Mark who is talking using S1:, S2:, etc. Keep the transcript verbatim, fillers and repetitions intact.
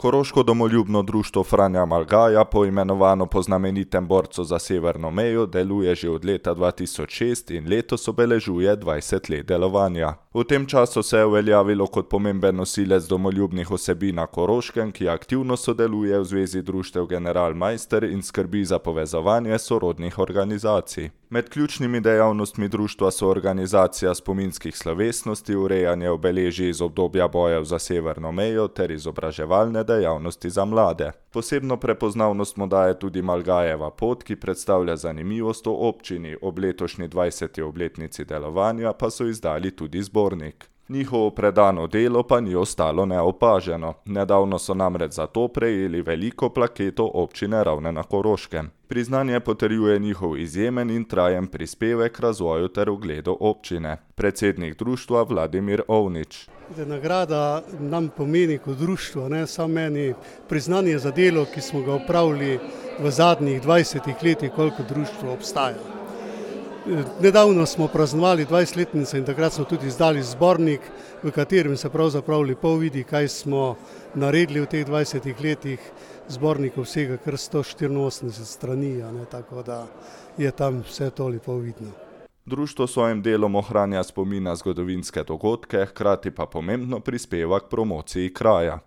S1: Koroško domoljubno društvo Franja Malgaja, poimenovano po znamenitem borcu za severno mejo, deluje že od leta dva tisoč šest in letos obeležuje dvajset let delovanja. V tem času se je uveljavilo kot pomemben nosilec domoljubnih vsebin na Koroškem, ki aktivno sodeluje v Zvezi društev General Maister in skrbi za povezovanje sorodnih organizacij. Med ključnimi dejavnostmi društva so organizacija spominskih slovesnosti, urejanje obeležij iz obdobja bojev za severno mejo ter izobraževalne dejavnosti za mlade. Posebno prepoznavnost mu daje tudi Malgajeva pot, ki predstavlja zanimivost o občini, ob letošnji dvajseti obletnici delovanja pa so izdali tudi zbornik. Njihovo predano delo pa ni ostalo neopaženo. Nedavno so namreč za to prejeli veliko plaketo občine Ravne na Koroškem. Priznanje potrjuje njihov izjemen in trajen prispevek k razvoju ter ugledu občine. Predsednik društva Vladimir Ovnič.
S2: Nagrada nam pomeni kot društvo, ne samo meni, priznanje za delo, ki smo ga opravili v zadnjih dvajsetih letih, koliko društvo obstaja. Nedavno smo praznovali dvajsetletnico in takrat smo tudi izdali zbornik, v katerem se pravzaprav lepo vidi, kaj smo naredili v teh dvajsetih letih. Zbornik vsega kar sto štiriinosemdeset strani, ne, tako da je tam vse to lepo vidno.
S1: Društvo s svojim delom ohranja spomin na zgodovinske dogodke, hkrati pa pomembno prispeva k promociji kraja.